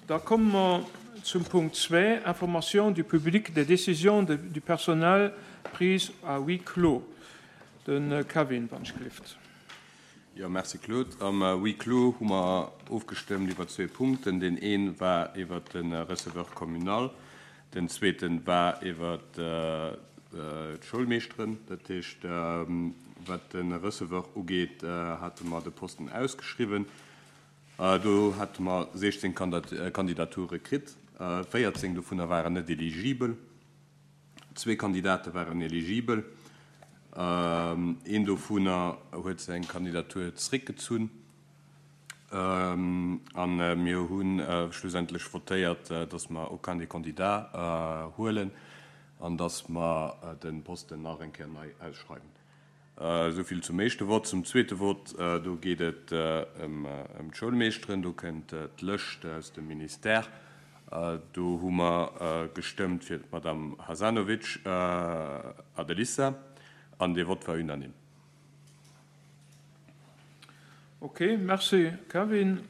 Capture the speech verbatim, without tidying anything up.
Da komme mer zum Punkt zwee, Information du public des décisions du personnel prises à huis clos. De Kevin, wann ech gelift. Jo, merci Claude. Am Huis clos hu mer ofgestëmmt iwwer zwee Punkten. Deen ee war iwwer de Receveur communal, den zweete war iwwer d'Schoulmeeschteren. Dat heescht, wat de Receveur ugeet, hate mer de Posten ausgeschriwwen. Do hate mer siechzéng Kandidature kritt, véierzéng dovunner waren net eligibel, zwee Kandidate waren eligibel, een dovunner huet seng Kandidatur zeréckgezunn a mir hu schlussendlech votéiert, datt mer aucun des candidats huelen an datt mer de Posten nach eng Kéier nei ausschreiwen. Esou vill zum éischte Vott. Zum zweete Vott, do geet et ëm d'Schoulmeeschteren. Do kënnt d'Lëscht aus dem Ministère. Do hu mer gestëmmt fir d'Madame Hasanovic Adelissa an dee Vott war unanime. Ok, merci Kevin.